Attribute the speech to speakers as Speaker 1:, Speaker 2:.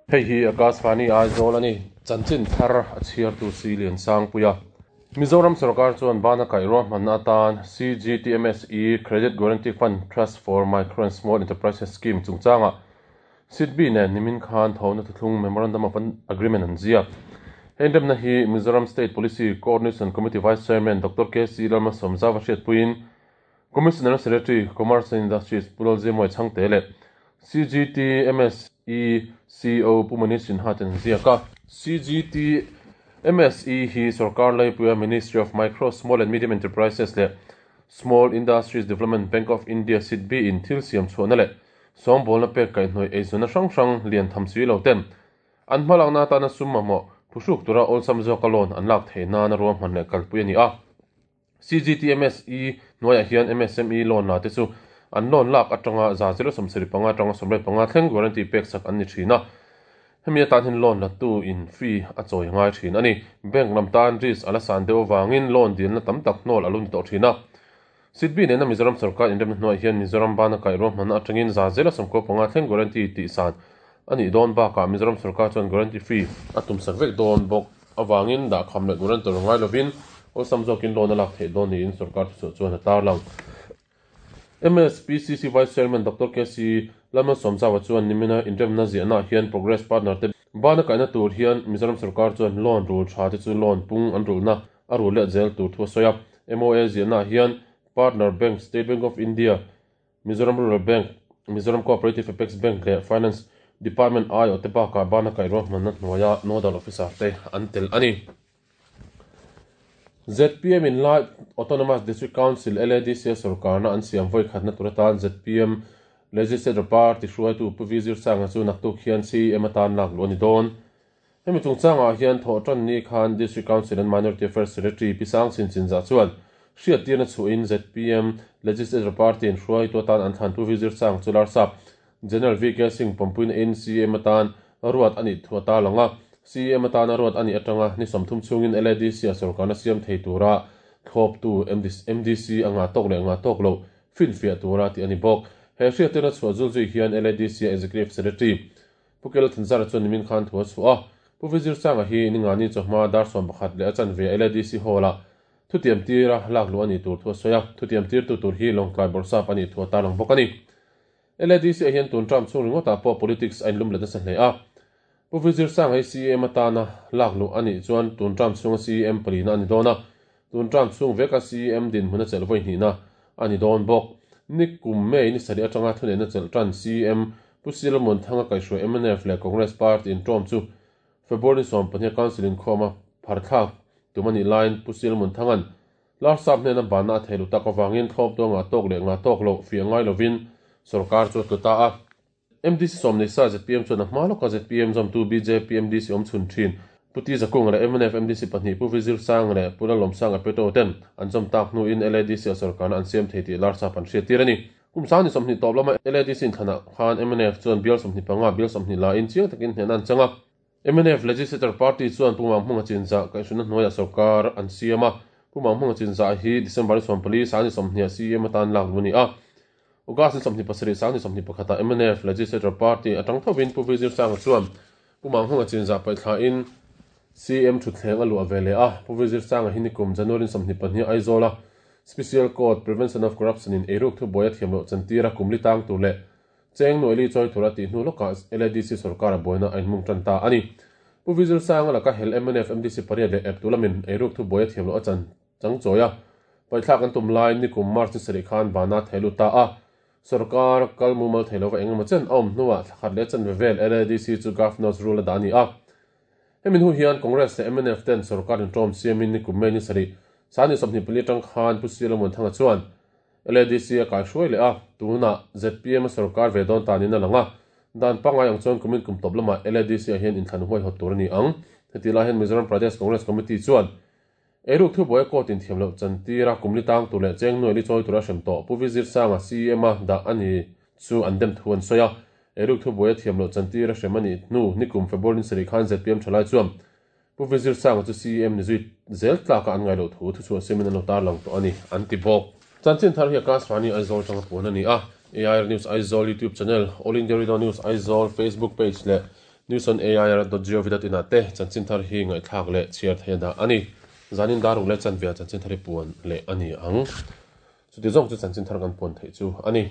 Speaker 1: Hei hi Akashvani Aizawl a ni. Chanchin thar a chhiartu si Liansangpuia. Mizoram sorkar chuan bana kaih ruahmanna atan CGTMSE Credit Guarantee Fund Trust for Micro and Small Enterprises Scheme chungchangah SIDBI nen nimin khan thawhna thuthlung Memorandum of Agreement an ziak. He inremna hi Mizoram State Policy Coordination Committee Vice Chairman Doctor KC Lalmalsawmzauva hriatpuiin Commissioner Secretary, Commerce and Industries Pu Lalziamuai Chhangte leh CGTMSE CEO Pu Manish Sinha ten an ziak a. CGTMSE hi sorkar laipuia Ministry of Micro, Small and Medium Enterprises leh Small Industries Development Bank of India, SIDBI, in thil siam chhuahna leh sawngbawlna pek kaihhnawih eizawnna hrang hrang lian tham si lo ten an hmalakna atana sum mamawh phuhruk tura awlsam zawka loan an lak theih nana ruahman leh kalpui a ni a. CGTMSE hnuaiah hian MSME loan la te chu an loan lak atanga 0.75 atanga 85 thleng guarantee pek sak an ni thin a. Hemi atan hian loan la tu in fee a chawi ngai thin a ni. Bank lam tan risk a la san deuh avangin loan dilna tam tak hnawl a lo ni tawh thin a. SIDBI nena Mizoram sorkar inremna hnuaiah hian Mizoram bana kaih ruahmanna atangin 95% thleng guarantee tih san a nih dawn bakah Mizoram sorkar chuan guarantee fee a tum sak vek dawn bawk avangin dahkham leh guarantor ngai lovin awlsam zawkin loan a lak theih dawn niin sorkar thuchhuah chuan a tarlang. MSPCC Vice Chairman Doctor KC Lalmalsawmzaua chuan nimina inremna ziahnaah hian Progress Partner te bana kaihna tur hian Mizoram sorkar chuan loan rul tha te chu loan pung an rulhna a rul let zel tur thu a sawi a. MOA ziahnaah hian Partner Bank, State Bank of India, Mizoram Rural Bank, Mizoram Cooperative Apex Bank leh Finance Department aiawh te bakah bana kaih ruahmanna hnuaia Nodal Officer te an tel a ni. Zpm in Lai Autonomous District Council, LADC, a sorkarna an siam vawi khatna tur atan zpm Legislature Party hruaitu Pu V Zirsanga chu naktuk hian CEM atan lak luh a ni dawn. Hemi chungchangah hian thawhtan ni khan District Council and Minority Affairs Secretary Pi Sang Chin Chinzah chuan hriattirna chhuahin zpm Legislature Party in hruaitu atan an thlan Pu Vizir Sang chu Larsap General VK Singh pawmpuina in CM atan ruat a nih thu a tarlang a. CM atana ruat a nih atanga ni 30 chhungin LADC a sorkarna siam thei tura thlawptu MDC a ngah tawk leh ngah tawk loh finfiah tura tih a ni bawk. He hriattirna chhuah zul zui hian LADC a Executive Secretary Pu Kela Thanzara chuan nimin khan thu a chhuah a, Pu Vizir Sanga hi Ningani chawhma dar 11 leh a chanve LADC Hall-ah thutiam tira lak luh a nih tur thu a sawi a, thutiam tirtu tur hi Lawngtlai Bawrhsap a nih thu a tarlang bawk a ni. LADC ah hian tun term chhung ringawtah pawh politics a inlum let nasa hle a, Pu Vizir Sanga hi CEM atana lak luh a nih chuan tun term chhunga CEM palina a ni dawn a, tun term chhung veka CEM dinhmun a chelh vawi hnihna a ni dawn bawk. Ni kum May ni sarih atanga thuneihna chelh tan CEM Pu Silomon Thanga kaihhruai mnf leh Congress Party inṭawm chu February 12 Council inkhawma pharthlak tum a nih laiin Pu Silomon Thanga'n Larsap hnena banna a thei lu tak avangin thlawp tuanga tawk leh ngah tawk loh fiah ngai lovin sorkar chu a tlu ta a. MDC sawm nei sa zpm chuan a hma lawka zpm zawmtu bjp MDC awm chhun thin Pu Ti Zakunga leh mnf MDC pahnih Pu Vizir Sang leh Pu Lalawmsanga Peto ten an zawm tak hnuin LADC a sorkarna an siam thei tih Larsap an hriattir a ni. Kum 2020 tawp lama LADC inthlanah khan mnf chuan bial 25, bial 20 lain chiang takin hnehna an chang a. Mnf Legislature Party chuan Pu Manghmunga Chinzah kaihhruina hnuaiah sorkar an siam a. Pu Manghmunga Chinzah hi December 14, 2020 CEM atan lak luh a ni a. August 27, 2021 mnf Legislature Party atang thovin Pu Vizir Sanga chuan Pu Manghmunga Chinzah paihthla-in CEM thutthleng a luah ve leh a. Pu Vizir Sanga hi nikum January 22 Aizawl-a Special Court Prevention of Corruption in eiruk thubuai a thiam loh chantir a kum li tang tur leh Cheng Nuaili chawi tur a tih hnu lawkah LADC sorkar a buaina a inmung tan ta a ni. Pu Vizir Sanga laka hel mnf MDC pariat leh ep tu lamin eiruk thubuai a thiam loh a chan chang chawi a, paihthlak an tum laiin nikum March ni sarih khan bana thei lut ta a. Sorkar kal mumal thei lova eng emaw chen a awm hnuah thla khat leh chanve vel LADC chu Governor's Rule a dah a ni a. Hemi hnu hian Congress leh mnf ten sorkar inṭawm siamin nikum May ni sarih 24 atang khan Pu Silamuan Thanga chuan LADC a kaihruai leh a, tunah zpm a sorkar ve dawn tanin a lang a. Dan pangngai ang chuan kumin kum tawp lamah LADC ah hian inthlan huaihawt tur a ni ang. Heti lai hian Mizoram Pradesh Congress Committee chuan eiruk thubuai a court inthiam loh chantir a, kum li tang tur leh cheng nuaili chawi tura hrem tawh Pu Vizir Sanga CEM a dah a ni chu an dem thu an sawi a. Eiruk thubuai a thiam loh chantir a hrem a nih hnu nikum February ni sarih khan zpm thalai chuan Pu Vizir Sanga chu CEM ni zui zel tlaka an ngaih loh thu thuchhuah siamin an lo tarlang tawh a ni, an ti bawk. Chanchin thar hi Akashvani Aizawl atanga puan a ni a, AIR News Aizawl YouTube channel, All India Radio News Aizawl Facebook page leh Newsonair.gov.in ah te chanchin thar hi ngaihthlak leh chhiar theih a dah a ni. Zanin daruk leh chanve ah chanchin thar hi puan leh a ni ang. Chuti zawng chu chanchin thar kan puan theih chu a ni.